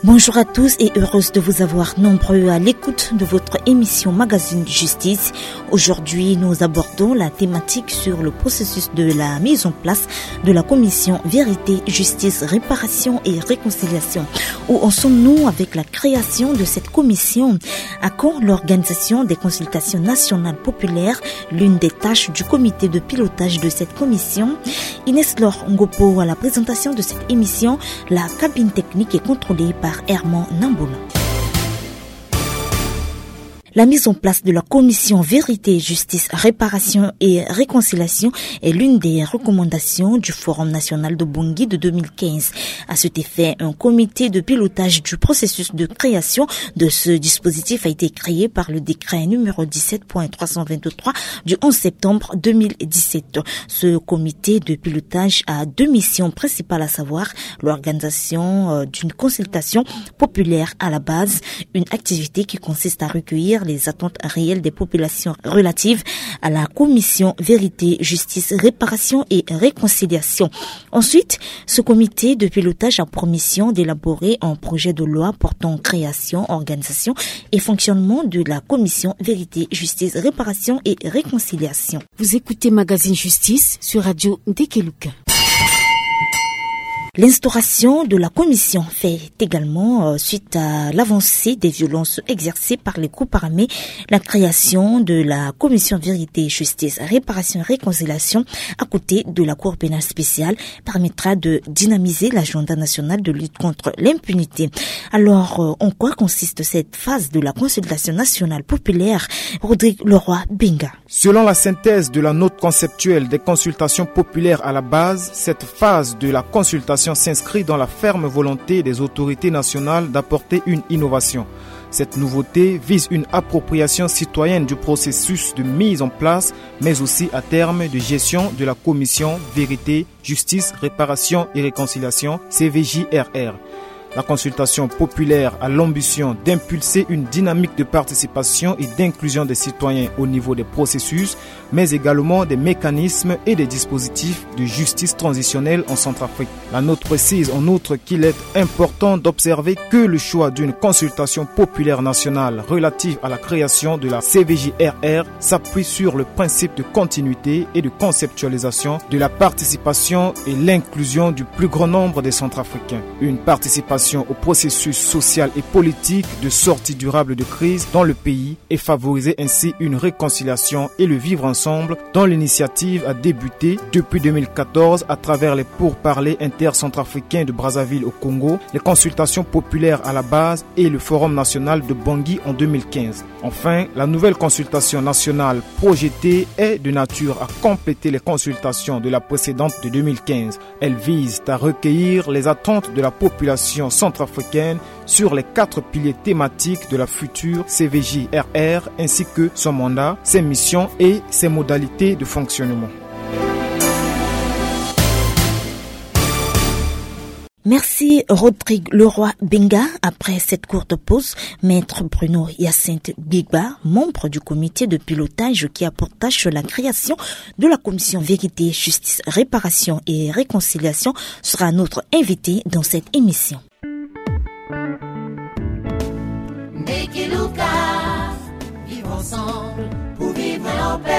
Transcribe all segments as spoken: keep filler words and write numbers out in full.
Bonjour à tous et heureuse de vous avoir nombreux à l'écoute de votre émission Magazine Justice. Aujourd'hui, nous abordons la thématique sur le processus de la mise en place de la commission Vérité, Justice, Réparation et Réconciliation. Où en sommes-nous avec la création de cette commission ? À quand l'organisation des consultations nationales populaires, l'une des tâches du comité de pilotage de cette commission ? Inès Laure Ngopo à la présentation de cette émission. La cabine technique est contrôlée par Herman Nambola. La mise en place de la commission Vérité, Justice, Réparation et Réconciliation est l'une des recommandations du Forum national de Bangui de deux mille quinze. À cet effet, un comité de pilotage du processus de création de ce dispositif a été créé par le décret numéro dix-sept point trois cent vingt-trois du onze septembre deux mille dix-sept. Ce comité de pilotage a deux missions principales, à savoir l'organisation, euh, d'une consultation populaire à la base, une activité qui consiste à recueillir les attentes réelles des populations relatives à la commission Vérité, Justice, Réparation et Réconciliation. Ensuite, ce comité de pilotage a pour mission d'élaborer un projet de loi portant création, organisation et fonctionnement de la commission Vérité, Justice, Réparation et Réconciliation. Vous écoutez Magazine Justice sur Radio Ndekeluka. L'instauration de la commission fait également, euh, suite à l'avancée des violences exercées par les groupes armés. La création de la commission Vérité, Justice, Réparation et Réconciliation à côté de la Cour pénale spéciale permettra de dynamiser l'agenda national de lutte contre l'impunité. Alors, euh, en quoi consiste cette phase de la consultation nationale populaire ? Rodrigue Leroy Benga. Selon la synthèse de la note conceptuelle des consultations populaires à la base, cette phase de la consultation s'inscrit dans la ferme volonté des autorités nationales d'apporter une innovation. Cette nouveauté vise une appropriation citoyenne du processus de mise en place, mais aussi à terme de gestion de la commission Vérité, Justice, Réparation et Réconciliation, C V J R R. La consultation populaire a l'ambition d'impulser une dynamique de participation et d'inclusion des citoyens au niveau des processus, mais également des mécanismes et des dispositifs de justice transitionnelle en Centrafrique. La note précise en outre qu'il est important d'observer que le choix d'une consultation populaire nationale relative à la création de la C V J R R s'appuie sur le principe de continuité et de conceptualisation de la participation et l'inclusion du plus grand nombre des Centrafricains. Une participation au processus social et politique de sortie durable de crise dans le pays et favoriser ainsi une réconciliation et le vivre ensemble dont l'initiative a débuté depuis deux mille quatorze à travers les pourparlers intercentrafricains de Brazzaville au Congo, les consultations populaires à la base et le Forum national de Bangui en deux mille quinze. Enfin, la nouvelle consultation nationale projetée est de nature à compléter les consultations de la précédente de deux mille quinze. Elle vise à recueillir les attentes de la population centrafricaine sur les quatre piliers thématiques de la future C V J R R, ainsi que son mandat, ses missions et ses modalités de fonctionnement. Merci Rodrigue Leroy Benga. Après cette courte pause, Maître Bruno Hyacinthe Gbegba, membre du comité de pilotage qui a pour tâche la création de la commission Vérité, Justice, Réparation et Réconciliation, sera notre invité dans cette émission. Ndekeluka, vivre ensemble pour vivre en paix.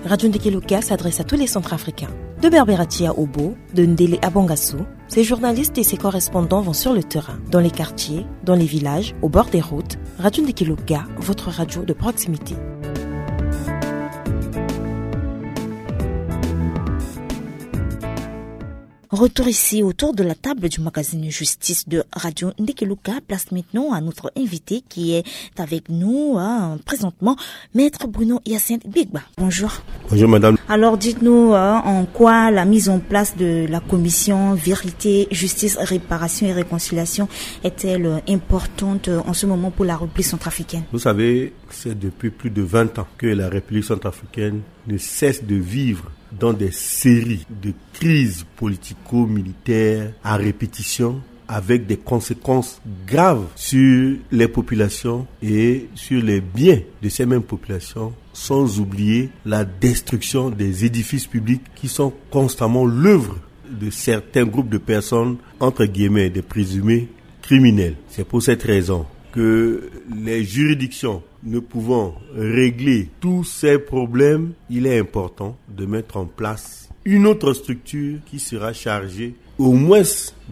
Radio Ndekeluka s'adresse à tous les Centrafricains. De Berberatia Obo, de Ndele à Bangassou, ses journalistes et ses correspondants vont sur le terrain, dans les quartiers, dans les villages, au bord des routes. Radio Ndekeluka, votre radio de proximité. Retour ici autour de la table du magazine Justice de Radio Ndekeluka. Place maintenant à notre invité qui est avec nous, hein, présentement, Maître Bruno Hyacinthe Gbegba. Bonjour. Bonjour, madame. Alors, dites-nous, euh, en quoi la mise en place de la commission Vérité, Justice, Réparation et Réconciliation est-elle, euh, importante, euh, en ce moment pour la République centrafricaine ? Vous savez, c'est depuis plus de vingt ans que la République centrafricaine ne cesse de vivre dans des séries de crises politico-militaires à répétition, avec des conséquences graves sur les populations et sur les biens de ces mêmes populations, sans oublier la destruction des édifices publics qui sont constamment l'œuvre de certains groupes de personnes, entre guillemets, des présumés criminelles. C'est pour cette raison que les juridictions ne pouvant régler tous ces problèmes, il est important de mettre en place une autre structure qui sera chargée au moins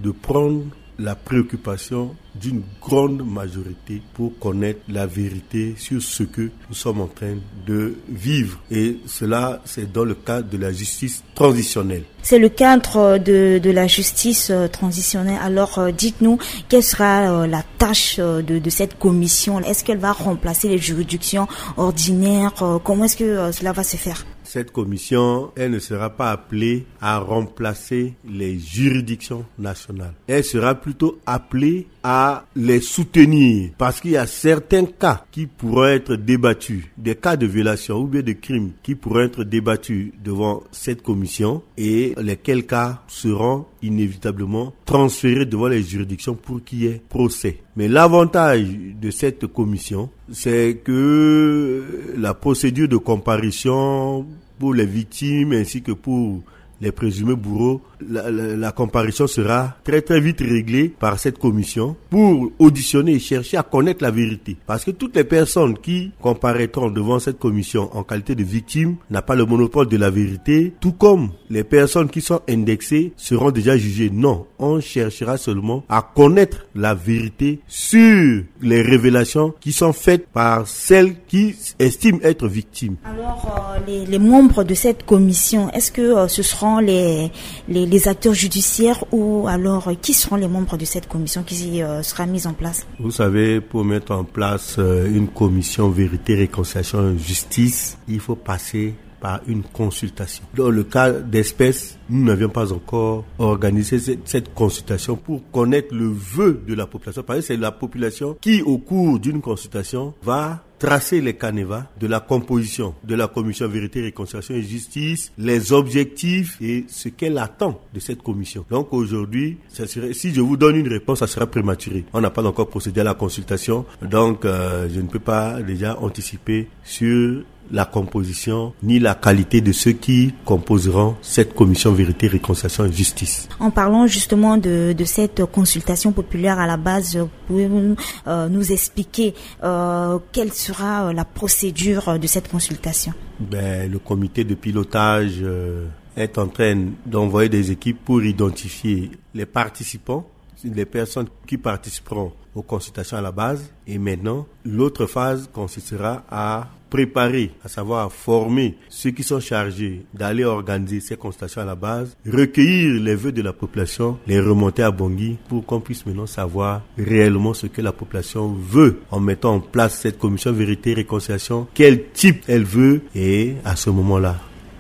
de prendre la préoccupation d'une grande majorité pour connaître la vérité sur ce que nous sommes en train de vivre. Et cela, c'est dans le cadre de la justice transitionnelle. C'est le cadre de, de la justice euh, transitionnelle. Alors, euh, dites-nous, quelle sera euh, la tâche euh, de, de cette commission ? Est-ce qu'elle va remplacer les juridictions ordinaires ? Euh, comment est-ce que euh, cela va se faire ? Cette commission, elle ne sera pas appelée à remplacer les juridictions nationales. Elle sera plutôt appelée à les soutenir, parce qu'il y a certains cas qui pourront être débattus, des cas de violation ou bien de crimes qui pourront être débattus devant cette commission, et lesquels cas seront inévitablement transférés devant les juridictions pour qu'il y ait procès. Mais l'avantage de cette commission, c'est que la procédure de comparution pour les victimes ainsi que pour les présumés bourreaux, la, la, la comparution sera très très vite réglée par cette commission pour auditionner et chercher à connaître la vérité. Parce que toutes les personnes qui comparaîtront devant cette commission en qualité de victime n'a pas le monopole de la vérité, tout comme les personnes qui sont indexées seront déjà jugées. Non, on cherchera seulement à connaître la vérité sur les révélations qui sont faites par celles qui estiment être victimes. Alors, euh, les, les membres de cette commission, est-ce que euh, ce seront les, les, les acteurs judiciaires ou alors euh, qui seront les membres de cette commission qui euh, sera mise en place ? Vous savez, pour mettre en place euh, une commission vérité, réconciliation, justice, il faut passer par une consultation. Dans le cas d'espèce, nous n'avions pas encore organisé cette, cette consultation pour connaître le vœu de la population. Parce que c'est la population qui, au cours d'une consultation, va tracer les canevas de la composition de la commission vérité, réconciliation et justice, les objectifs et ce qu'elle attend de cette commission. Donc aujourd'hui, ça serait, si je vous donne une réponse, ça sera prématuré. On n'a pas encore procédé à la consultation, donc euh, je ne peux pas déjà anticiper sur la composition ni la qualité de ceux qui composeront cette commission vérité, réconciliation et justice. En parlant justement de, de cette consultation populaire à la base, pouvez-vous euh, nous expliquer euh, quelle sera euh, la procédure de cette consultation ? Ben, le comité de pilotage euh, est en train d'envoyer des équipes pour identifier les participants, les personnes qui participeront aux consultations à la base. Et maintenant, l'autre phase consistera à préparer, à savoir former ceux qui sont chargés d'aller organiser ces consultations à la base, recueillir les vœux de la population, les remonter à Bangui pour qu'on puisse maintenant savoir réellement ce que la population veut en mettant en place cette commission vérité réconciliation, quel type elle veut, et à ce moment-là,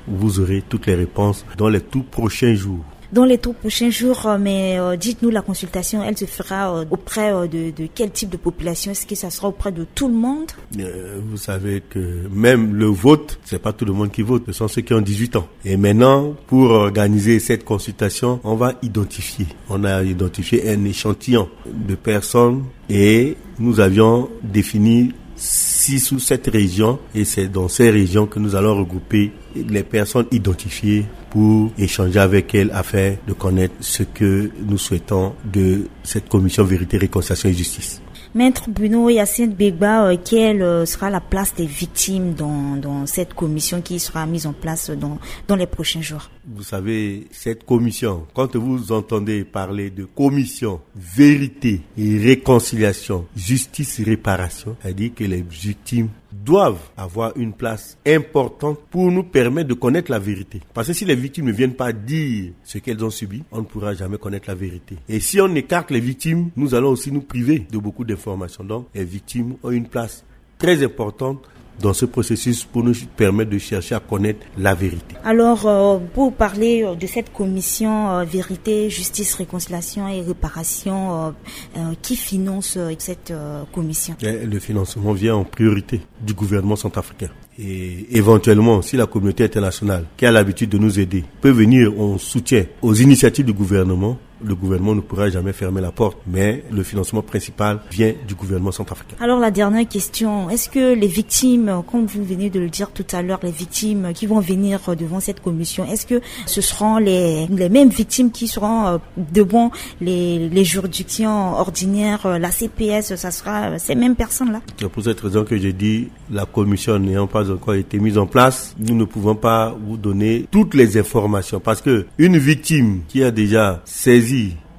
vous aurez toutes les réponses dans les tout prochains jours. Dans les tout prochains jours, euh, mais euh, dites-nous, la consultation, elle se fera euh, auprès euh, de, de quel type de population ? Est-ce que ça sera auprès de tout le monde ? Euh, vous savez que même le vote, c'est pas tout le monde qui vote, ce sont ceux qui ont dix-huit ans. Et maintenant, pour organiser cette consultation, on va identifier. On a identifié un échantillon de personnes et nous avions défini six ou sept régions, et c'est dans ces régions que nous allons regrouper les personnes identifiées pour échanger avec elles afin de connaître ce que nous souhaitons de cette commission vérité, réconciliation et justice. Maître Bruno Hyacinthe Begba, euh, quelle euh, sera la place des victimes dans, dans cette commission qui sera mise en place dans, dans les prochains jours ? Vous savez, cette commission, quand vous entendez parler de commission vérité et réconciliation, justice et réparation, c'est-à-dire que les victimes doivent avoir une place importante pour nous permettre de connaître la vérité. Parce que si les victimes ne viennent pas dire ce qu'elles ont subi, on ne pourra jamais connaître la vérité. Et si on écarte les victimes, nous allons aussi nous priver de beaucoup d'informations. Donc, les victimes ont une place très importante dans ce processus pour nous permettre de chercher à connaître la vérité. Alors, euh, pour parler euh, de cette commission euh, vérité, justice, réconciliation et réparation, euh, euh, qui finance euh, cette euh, commission ? Et le financement vient en priorité du gouvernement centrafricain. Et éventuellement, si la communauté internationale, qui a l'habitude de nous aider, peut venir en soutien aux initiatives du gouvernement, Le gouvernement ne pourra jamais fermer la porte, mais le financement principal vient du gouvernement centrafricain. Alors, la dernière question, est-ce que les victimes, comme vous venez de le dire tout à l'heure, les victimes qui vont venir devant cette commission, est-ce que ce seront les, les mêmes victimes qui seront, euh, devant les, les juridictions ordinaires, euh, la C P S, ça sera, euh, ces mêmes personnes-là ? C'est pour cette raison que je dis, la commission n'ayant pas encore été mise en place, nous ne pouvons pas vous donner toutes les informations, parce que une victime qui a déjà saisi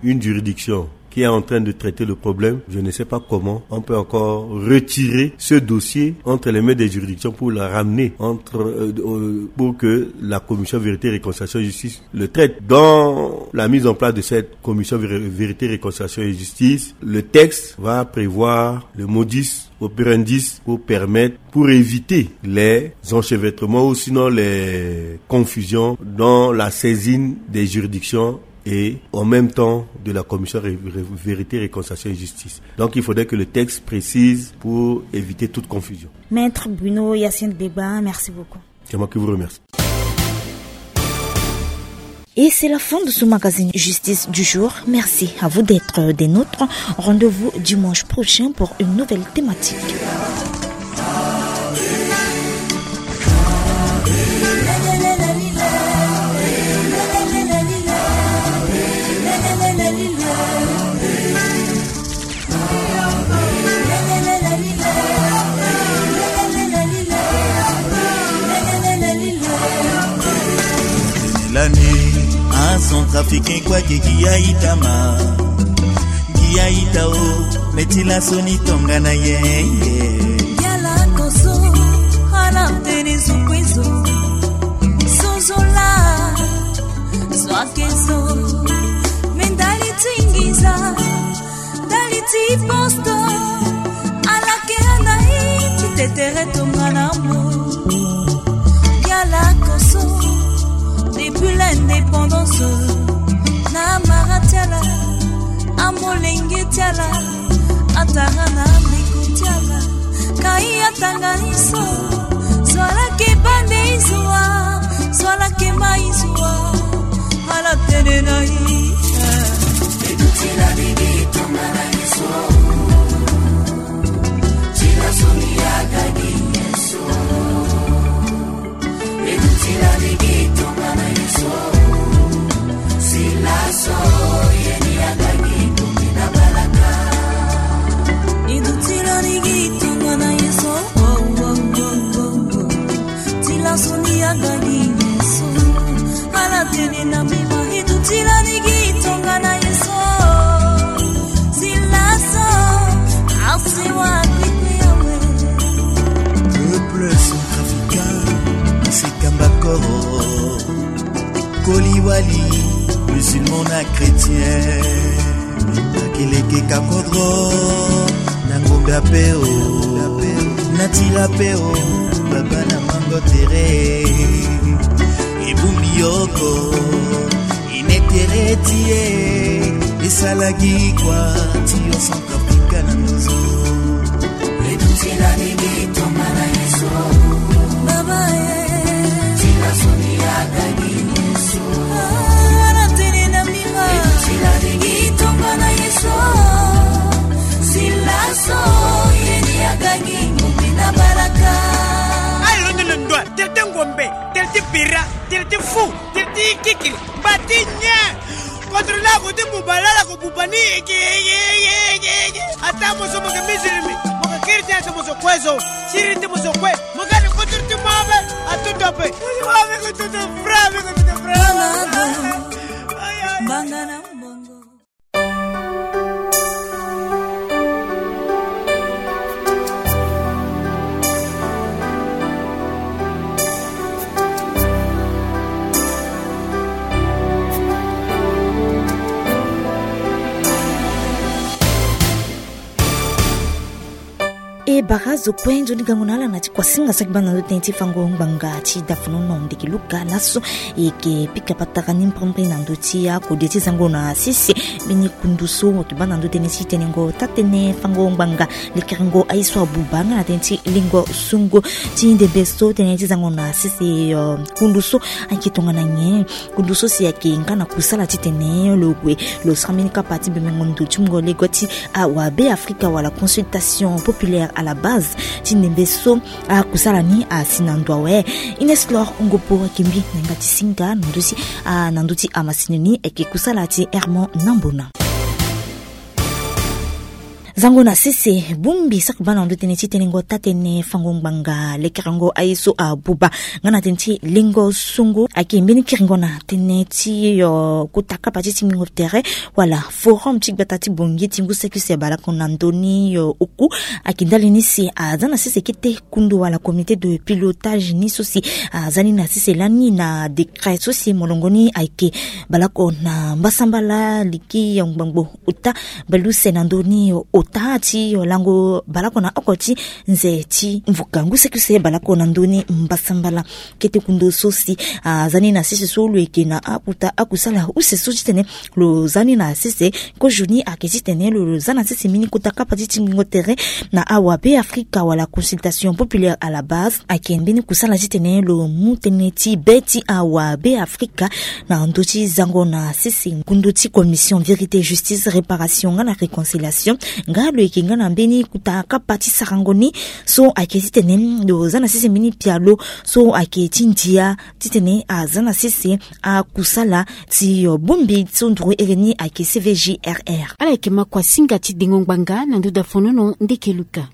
une juridiction qui est en train de traiter le problème, je ne sais pas comment on peut encore retirer ce dossier entre les mains des juridictions pour le ramener entre, euh, euh, pour que la commission vérité, réconciliation et justice le traite. Dans la mise en place de cette commission Vé-, vérité, réconciliation et justice, le texte va prévoir le modus operandi pour permettre, pour éviter les enchevêtrements ou sinon les confusions dans la saisine des juridictions et en même temps de la commission Ré-, Ré-, vérité, réconciliation et justice. Donc il faudrait que le texte précise pour éviter toute confusion. Maître Bruno Yacine Beba, merci beaucoup. C'est moi qui vous remercie. Et c'est la fin de ce magazine Justice du jour. Merci à vous d'être des nôtres. Rendez-vous dimanche prochain pour une nouvelle thématique. Lani, a Centrafricain kwake giaitama. Giaita o, me ti laso ni tongana ye. Yala koso, ala tene zo kwezo. Sozola, zo ake zo. Me ndali ti nginza. Ndali ti posto, ala ke ana i ti tetere tongana mo. Yala koso, depuis l'indépendance, na mara ti ala, amolenge ti ala, atara na ndeko ti ala. Ka i atanga ni so, zo ala ke bande i zo wa, zo ala ke ma i zo wa, ala tene na i. E duti lani gi tongana ye so. Ti laso ni aga gi ye so. E duti lani gi tongana ye so. Si laso ye ni aga gi ngombe na balaka. E duti lani gi tongana ye so. Oh, oh, oh, oh, oh. Ti laso ni aga gi ye so. Ala tene na mbi ma e duti lani gi tongana ye so. Si laso, asi wa kwe kwe awe. Peuple centrafricain, asi kamba koro. Koliwali, musulman na chrétien. Akeleke kakodro, na ngombe ape o, na tila ape o, baba na mango tere. Ebumbi yoko, i ne tere ti e, e sala gi kwa ti yo Centrafrique na ndozo. E duti lani gi tongana ye so. Baba e. Ti laso ni aga gi ye so. Ala tene na mbi ma. E duti lani gi tongana ye so. Si laso ye ni aga gi ngombe na balaka. Aye londo lo ndwa, tele ti ngombe, tele ti bira, tele ti fu, tele ti kikiri, mba ti nyen. Contre la ko ti buba, la la ko buba ni, eke, eke, eke, eke, eke. Ata mo so mo ke musulmi, mo ke chrétien, ata mo so kue so, siri ti mo so kue. Mo ga ni contre ti mo ape, atutu ape. Mo ni mo ape ko tutu fra, ape ko tutu fra. Aye, aye. Banga na mbongo. E bara Kue nzoni gango na ala na ti kuasinga saki baa na ndö tënë ti fango ngbanga ti dafonono ndeke luka laso. E yeke pika patara ni mbrimbri na ndö ti akode ti zango na sese mbeni kundu so ayeke baa na ndö tënë ti tenengo taa-tënë fango ngbanga lekerengo aye so abuba nga na tënë ti lengo sungo ti ndembe so tënë ti zango na sese. Kundu so ayeke tongana nyen? Kundu so si ayeke nga na kusala titene lo gue lo sara mbeni kapa ti bemengo ndo ti mungo lego ti awabe afrika wala consultation populaire à la base ti ndembe so. Akusala ni asi na ndo awe. Ines Lor Ngopo ayeke mbi na yanga ti singa na ndö ti a na ndö ti amasini ni ayeke kusala ti Hermon Nambona. Zango na sese bongbi saki baa na ndö tënë ti tenengo taa-tënë fango ngbanga lekerengo aye so abuba nga na tënë ti lengo sungo ayeke mbeni kiringo na tënë ti kota kapa ti tingbingo tere wala forum ti gbata ti bongi ti ngu saki use balako na ndö ni oku. Ayeke ndali ni si aza na sese kete kundu wala comité de pilotage ni so si aza ni na sese lani na décret so si molongo ni ayeke balako na mbasambala liki ngbangbo ota baleuse na ndö ni ota ti lango balako na oko ti nze ti mvuka ngu saki use balako na ndö ni mbasambala. Kete kundu so si aza ni na sese so lo yeke na akota akusala use so titene lo za ni na sese. Kozo ni ayeke titene lo za na sese mbeni kota kapa ti tingbingo tere na awabe afrika wala consultation populaire à la base ayeke mbeni kusala titene lo mu tënë ti be ti awabe afrika na ndö ti zango na sese. Kundu ti commission vérité justice réparation nga na réconciliation nga lo yeke nga na mbeni kota kapa ti sarango ni so ayeke titene lo za na sese mbeni pialo so ayeke ti ndia titene aza na sese akusala ti bongbi so nduru ere ni ayeke cvjrr. Ala yeke ma kuasinga ti dengo ngbanga na ndo dafonono ndeke luka.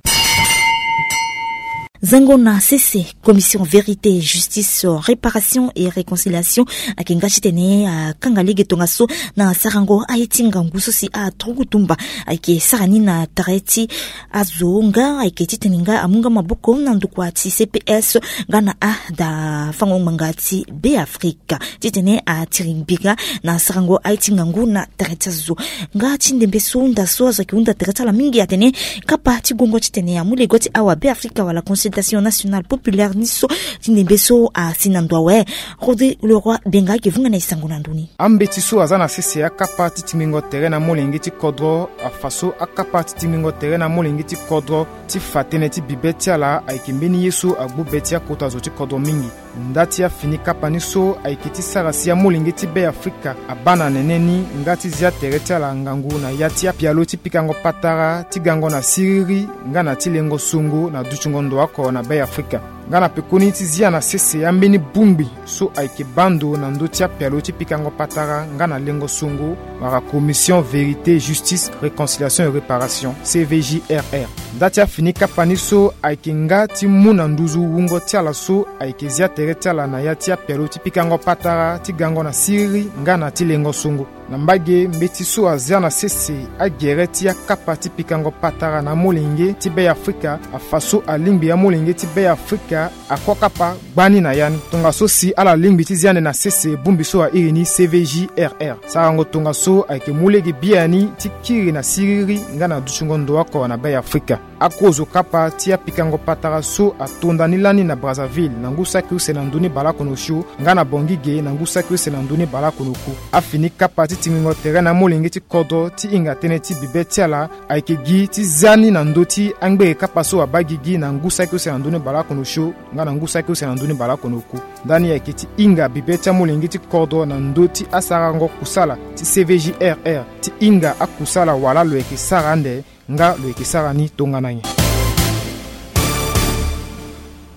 Zango na sese commission vérité justice réparation et réconciliation ayeke nga titene akanga lege tongaso na sarango aye ti ngangu so si aturugu tumba ayeke sara ni na tere ti azo nga ayeke titene nga amu nga maboko na ndokua ti cps nga na ada fango ngbanga ti beafrika titene atiri ngbinga na sarango aye ti ngangu na tere ti azo. Nga ti ndembe so hunda so azo ayeke hunda tere ti ala mingi atene kapa ti gongo titene amu lego ti awabe afrika wala consultation nationale populaire ni so ti ndembe so asi na ndo awe. Rodrigue Leroy Benga ayeke vunga na e sango na ndö ni. Ambeti so aza na sese akapa ti tingbingo tere na molenge ti kodro afa so akapa ti tingbingo tere na molenge ti kodro ti fa tënë ti bibe ti ala ayeke mbeni ye so agbu be ti akota zo ti kodro mingi. Nda ti afini kapa ni so ayeke ti sara si amolenge ti beafrika abaa na nene ni nga ti zia tere ti ala ngangu na ya ti apialo ti pikango patara ti gango na siriri nga na ti lengo songo na dutingo ndo oko na beafrika. Nga na pekoni ti zia na sese ambeni bongbi so ayeke baa ndo na ndö ti apialo ti pikango patara nga na lengo songo wala commission vérité justice réconciliation et réparation cvjrr. Nda ti afini kapa ni so ayeke nga ti mu na nduzu wungo ti ala so ayeke zia tere ti ala na ya ti apialo ti pikango patara ti gango na siriri nga na ti lengo songo. Na mbage mbeti so azia na sese agere ti akapa ti pikango patara na amolenge ti beafrika afa so alingbi amolenge ti beafrika akokapa gbani na ya ni tongaso si ala lingbi ti zia ande na sese bongbi so airi ni cvjrr. Sarango tongaso ayeke mu lege biani ti kiri na siriri nga na dutingo ndo oko na beafrika. Akozo kapa ti apikango patara so atonda ni lani na Brazzaville na ngu saki use na ndö ni baleoko na osio nga na Bangui ge na ngu saki use na ndö ni baleoko na oku. Afini kapa ti tingbingo tere na amolenge ti kodro ti hinga tënë ti bibe ti ala ayeke gi ti za ni na ndö ti angbere kapa so abaa gigi na ngu saki use na ndö ni baleoko na osio nga na ngu saki use na ndö ni baleoko na oku. Ndani ayeke ti hinga bibe ti amolenge ti kodro na ndö ti asarango kusala ti cvjrr ti hinga akusala wala lo yeke sara ande nga lo yeke sara ni tongana nyen.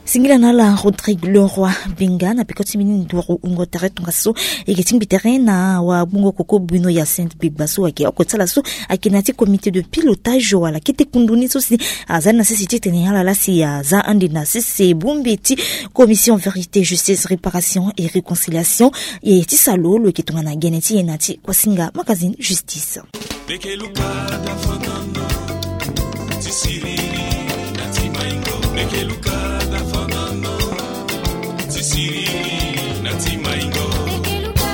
Singila na ala Rodrigue Leroy Benga na peko ti mbeni nduru wungo tere tongaso. E yeke ti ngbi tere na wagbongo koko Bruno Hyacinthe Begba so ayeke oko ti ala so ayeke na ya ti comité de pilotage wala kete kundu ni so si aza ni na sese titene ala laa si aza ande na sese bongbi ti commission vérité justice réparation et réconciliation. E ti salo lo yeke tongana gene ti e na ti Kosinga magazine justice. Meke luka da fanano ti siriri na ti maingo. Meke luka da fanano ti siriri na ti maingo. Meke luka.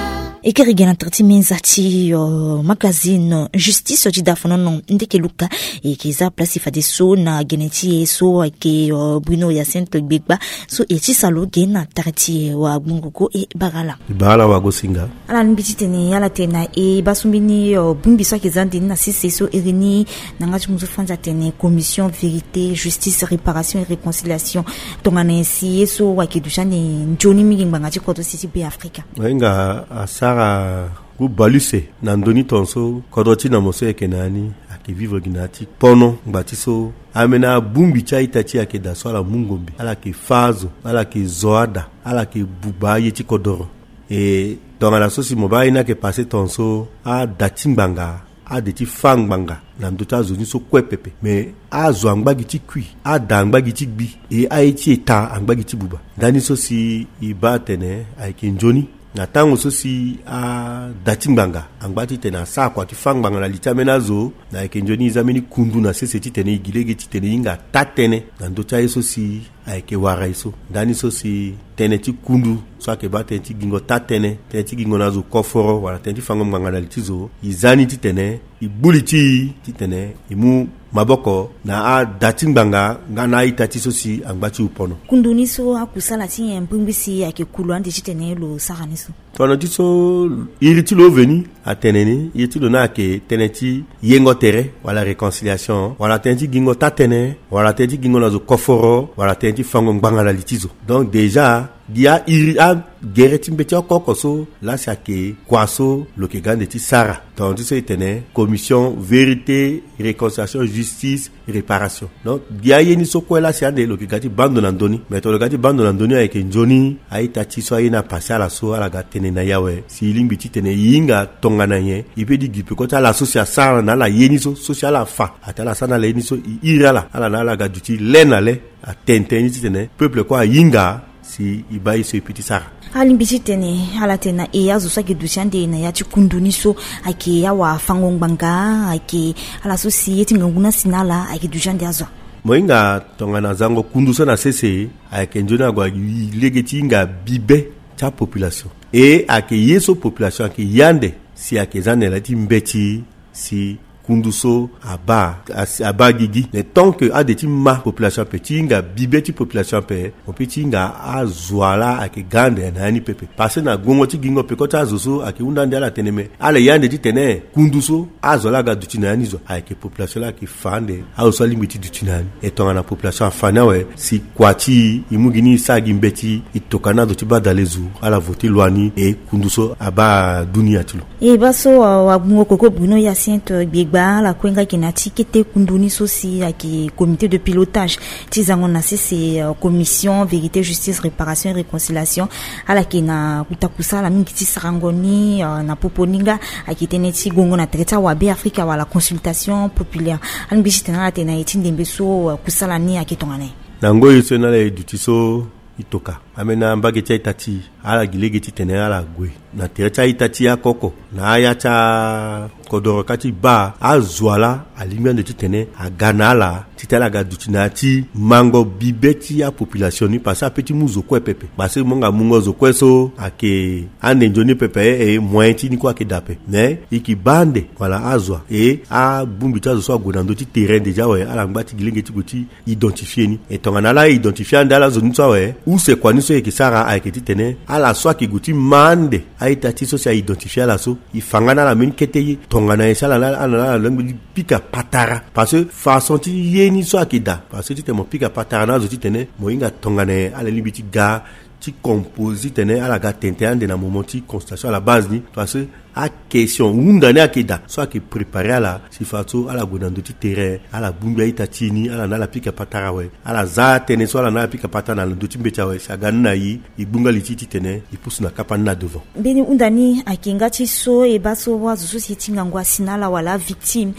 E kiri ge na tere ti menza ti, euh, magazine, euh, justice ti da fonono ndeke luka. E yeke za place fadeso na gene ti e so ayeke, euh, Bruno Hyacinthe Gbegba. So e ti salo ge na tere ti e, wagbongo ko e bara ala. E bara ala wagosinga. Ala lingbi titene ala tene na e baa so mbeni, euh, bongbi so ayeke za ande ni na sese so iri ni na yanga ti mu so fani atene commission vérité, justice, réparation et réconciliation. Tongana nyen si ye so ayeke duti ande nzoni mingi ngbanga ti kodro si ti Be Afrika? Wahinga asara ngu bale use na ndö ni tongaso kodro ti na mo so e yeke na ya ni ayeke vivre gi na ya ti pono ngba ti so ambeni abongbi ti a-ita ti e ayeke daa so ala mu ngombe, ala yeke fâ azo, ala yeke zo ada, ala yeke buba aye ti kodoro. E tongana so si mo baa aye ni ayeke passé tongaso, ada ti ngbanga, ade ti fâ ngbanga na ndö ti azo ni so kue pepe. Me azo angba gi ti kui, ada angba gi ti gbi, e aye ti eta angba gi ti buba. Ndani so si e baa atene ayeke nzoni. Na tango so si ada ti ngbanga angba titene asara kua ti fâ ngbanga na li ti ambeni azo, na ayeke nzoni e za mbeni kundu na sese titene e gi lege titene e hinga taa-tënë na ndö ti aye so si ayeke wara e so. Ndani so si tënë ti kundu so ayeke baa tënë ti gingo taa-tënë, tënë ti gingo na azo koforo wala tënë ti fango ngbanga na li ti zo, e za ni titene e gbu li ti e titene e mu maboko na ada ti ngbanga nga na a-ita ti e so si angba ti e pono. Kundu ni so akusala ti nyen mbirimbiri si ayeke kulu ande titene lo sara ni so? Tongana ti so iri ti lo veni atene ni, iri ti lo ni ayeke tënë ti yengo tere wala réconciliation wala tënë ti gingo taa-tënë wala tënë ti gingo na zo koforo wala tënë ti fango ngbanga na li ti zo. Donc déjà gi airi agere ti mbeti oko oko so laa si ayeke kua so lo yeke ga ande ti sara. Tongana ti so e tene commission vérité, réconciliation, justice, réparation. Donc gi aye ni so kue laa si ande lo yeke ga ti baa ndo na ndö ni. Me tongana lo ga ti baa ndo na ndö ni ayeke nzoni a-ita ti e so aye ni apase ala so ala ga tene na e awe si e lingbi titene e hinga tongana nyen, e pe ti gi peko ti ala so si asara na ala ye ni so, so si ala fa atene ala sara na ala ye ni so, e iri ala, ala na ala ga duti le na le. Atene tënë ni titene peuple kue ahinga si e baa ye so e pe ti sara. Alingbi titene ala tene na e azo so ayeke duti ande na ya ti kundu ni so ayeke awafango-ngbanga, ayeke ala so si ye ti ngangu ni asi na ala ayeke duti ande azo. Mo hinga tongana zango kundu so na sese ayeke nzoni ague lege ti hinga bibe ti apopulation. E ayeke ye so population ayeke ye ande si ayeke za na yala ti mbeti si kundu so abaa, asi, abaa gigi. Mais tant que ade ti ma population ape, ti hinga bibe ti population ape, mo pe ti hinga azo laa ayeke ga ande na ya ni pepe. Parce que na gongo ti gingo peko ti azo so ayeke hunda ande ala tene me ala ye ande titene kundu so azo laa aga duti na ya ni zo ayeke population laa ayeke fa ande azo so alingbi ti duti na ya ni. E tongana population afa ni awe si kua ti e, e mu gi ni e sara gi mbeti, e toka na azo ti badalezo ala voté loi ni, e kundu so abaa dunia ti lo. E baa so, euh, wagbongo koko Bruno Hyacinthe, euh, Gbegba, ala kue nga yeke na ya ti kete kundu ni so si ayeke comité de pilotage ti zango na sese, euh, commission vérité, justice, réparation et réconciliation. Ala yeke na kuta kusala mingi ti sarango ni, euh, na popo ni nga ayeke tënë ti gongo na tere ti awabe Afrika wala consultation populaire. Alingbi titene ala tene na e ti ndembe so, euh, kusala ni ayeke tongana nyen? Na ngoi so ni ala e duti so e toka ambeni ambage ti a-ita ti e ala gi lege titene ala gue na tere ti a-ita ti e oko oko na aya ti akodoro ka ti baa azo laa alingbi ande titene aga na ala titene ala ga duti na ya ti mango bibe ti apopulation ni. Parce que ape ti mu zo kue pepe, parce que mo nga mungo zo kue so ayeke ande nzoni pepe, e moyen ti ni kue ayeke daa ape. Mais e yeke baa ande wala azo e abongbi ti azo so ague na ndö ti terrain déjà awe ala ngba ti gi lege ti gue ti identifier ni. E tongana ala identifier ande ala zo ni so awe, use kua ni so e yeke sara ayeke titene ala so ayeke gue ti ma ande a-ita ti e so si a identifier ala so, e fa nga na ala mbeni kete ye tongana nyen si ala na ala na ala lingbi ti pika patara. Parce que façon ti ye ni so ayeke daa, parce que titene mo pika patara na azo titene mo hinga tongana nyen ala lingbi ti ga ti composer titene ala ga tene tënë ande na moment ti consultation à la base ni. Parce que akestion hunda ni ayeke daa so ayeke préparer ala si fadeso ala gue na ndö ti terrain, ala bongbi a-ita ti e ni, ala na ala pika patara awe, ala za tënë so ala na ala pika patara na ndö ti mbeti awe si aga ni na e, e gbunga li ti e titene e pusu na kapa ni na devant. Mbeni hunda ni ayeke nga ti so e baa so azo so si e ti ngangu asi na ala wala avictime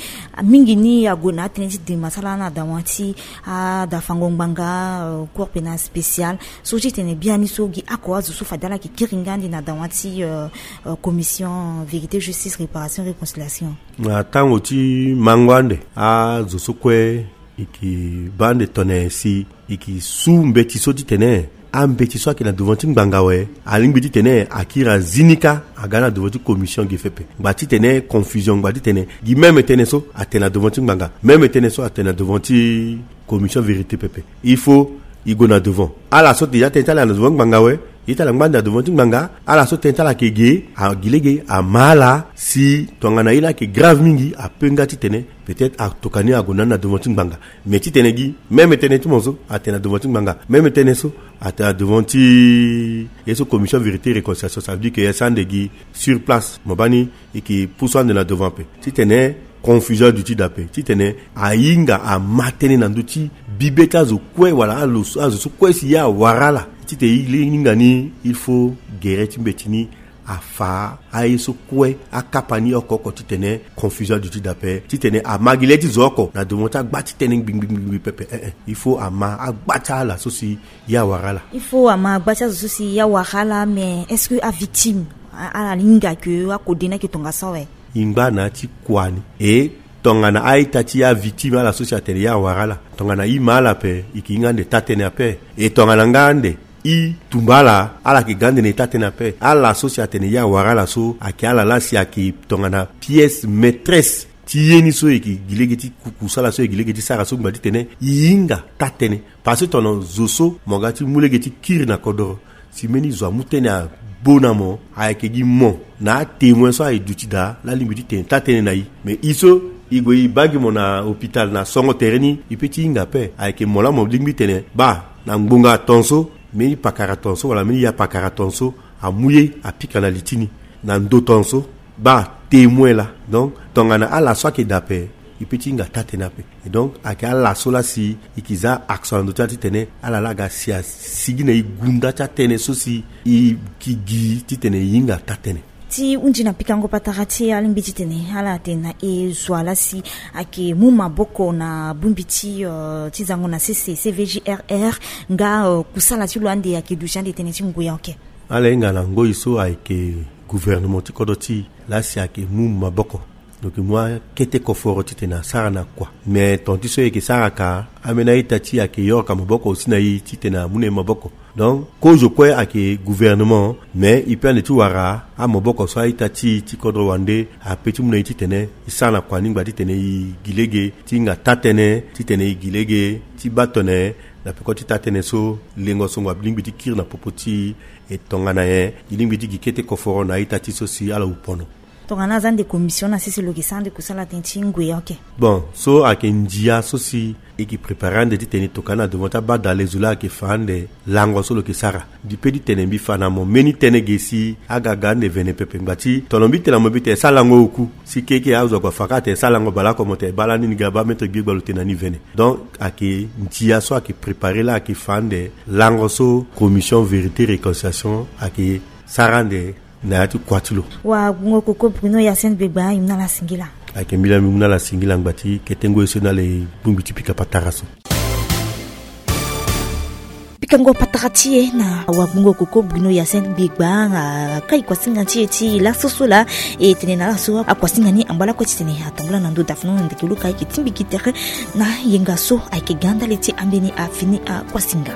mingi ni ague na atënë ti dema ti ala na dawa ti adafango ngbanga, euh, cour pénal spécial. So ti tene biani so gi oko azo so fade ala yeke kiri nga ande na dawa ti, euh, euh, commission vérité, justice, réparation, réconciliation. Na tango ti mango ande azo so kue e yeke baa ande tongana nyen si e yeke su mbeti so titene ambeti so ayeke na devant ti ngbanga awe, alingbi titene akiri azi ni kâ aga na devant ti commission ge pepe. Ngba titene confusion, ngba titene gi même tënë so atene na devant ti ngbanga, même tënë so atene na devant ti commission vérité pepe. Il faut e gue na devant. Ala so déjà tënë ti ala na devant ngbanga awe, ye ti ala ngba ande na devant ti ngbanga. Ala so tënë ti ala ayeke ge, a gi lege ama ala si tongana ye laa ayeke grave mingi, ape nga titene peut-être atokua ni ague na ni na devant ti ngbanga. Mais titene gi même tënë ti mo so atene na devant ti ngbanga, même tënë so atene na devant ti ye so commission vérité réconciliation, ça veut dire que e sara ande gi sur place, mo baa ni e yeke pusu ande na devant ape. Titene confusion aduti daa ape, titene ahinga ama tënë na ndö ti bibe ti azo kue wala azo so kue si ye awara ala. Titene e hinga ni, il faut gere ti mbeti ni afa aye so kue akapa ni oko oko titene confusion aduti daa ape, titene ama gi le ti zo oko na devant ti agba ti tënë ngbingbingbingbi pepe. Eh, eh. Il faut ama agba ti ala so si ye awara ala. Il faut ama agba ti azo so si ye awara ala. Mais est-ce que avictime a- ala hinga ke akode ni ayeke tongaso awe? E ngba na ya ti kua ni. E tongana a-ita ti avictime ala so si atene ye awara ala, tongana e ma ala ape, e yeke hinga ande taa-tënë ape. E tongana nga ande e tumba ala, ala yeke ga ande na e taa-tënë ape. Ala so si atene ye awara ala so ayeke ala laa si ayeke tongana pièce maîtresse ti ye ni so e yeke gi lege ti ku- kusala so e yeke gi lege ti sara so, ngba titene e hinga taa-tënë. Parce que tongana zo so mo ga ti mu lege ti kiri na kodoro, si mbeni zo amu tënë agbo na mo, ayeke gi mo na atémoin so aye duti daa laa alingbi ti tene taa-tënë na e. Mais e so e gue e baa gi mo na hôpital na songo tere ni, e pe ti hinga ape. Ayeke mo laa mo lingbi tene baa na ngbonga tongaso, mbeni pakara tongaso wala mbeni ya pakara tongaso amu ye apika na li ti ni na ndo tongaso. Baa témoin laa. Donc tongana ala so ayeke daa ape, e pe ti hinga taa-tënë ape. Et donc ayeke ala so laa si e yeke za action na ndö ti ala titene ala laa aga si asigi na e gunda ti atënë so si e yeke gi titene e hinga taa-tënë. Ti hundi na pikango patara ti e, alingbi titene ala tene na e zo wa laa si ayeke mu maboko na bongbi ti, euh, ti zango na sese C V J R R, nga, euh, kusala ti lo ande ayeke duti ande tënë ti ngoi oke. Ala hinga na ngoi so ayeke gouvernement ti kodro ti e laa si ayeke mu maboko. Donc e mu akete koforo titene asara na kua. Mais ton ti so e yeke sara ka, ambeni a-ita ti e ayeke yoroka maboko aussi na e titene amu na e maboko. Donc kozo kue ayeke gouvernement, mais e pe ande ti wara amaboko so a-ita ti e ti kodro wande ape ti mu na e titene e sara na kua ni, ngba titene e gi lege ti hinga taa-tënë, titene e gi lege ti baa tone na peko ti taa-tënë so lengo so ngu alingbi ti kiri na popo ti e. E tongana nyen e lingbi ti gi kete koforo na a-ita ti e so si ala wu pono? Tongana aza ande commission na sese, lo yeke sara ande kusala tënë ti ngoi oke. Bon, so ayeke ndia so si e yeke prépare ande titene e tokua na devant ti abadale zo laa ayeke fa ande lango so lo yeke sara. Mbi pe ti tene mbi fa na mo mbeni tënë ge si aga ga ande vene pepe. Ngba ti tongana mbi tene na mo mbi tene sara lango oku, si keke azo ague afa kâ atene sara lango baleoko, mo tene baa lani ni ga baa maître Gbegba lo tene na ni vene. Donc ayeke ndia so ayeke prépare laa ayeke fa ande lango so commission vérité réconciliation ayeke sara ande na ya ti kua ti lo. Wagbongo koko Bruno Hyacinthe Gbegba, e mu na ala singila. Ayeke mbi laa mbi mu na ala singila ngba ti kete ngoi so na ala e bongbi ti pika patara so. Pikango patara ti e na wagbongo koko Bruno Hyacinthe Gbegba, a kai kuasinga ti e ti laso so laa e tene na ala so akuasinga ni angba lakue titene atambula na ndo dafeno na ndeke luka ayeke ti mbi gi tere na yenga so ayeke ga ndali ti ambeni afini akuasinga.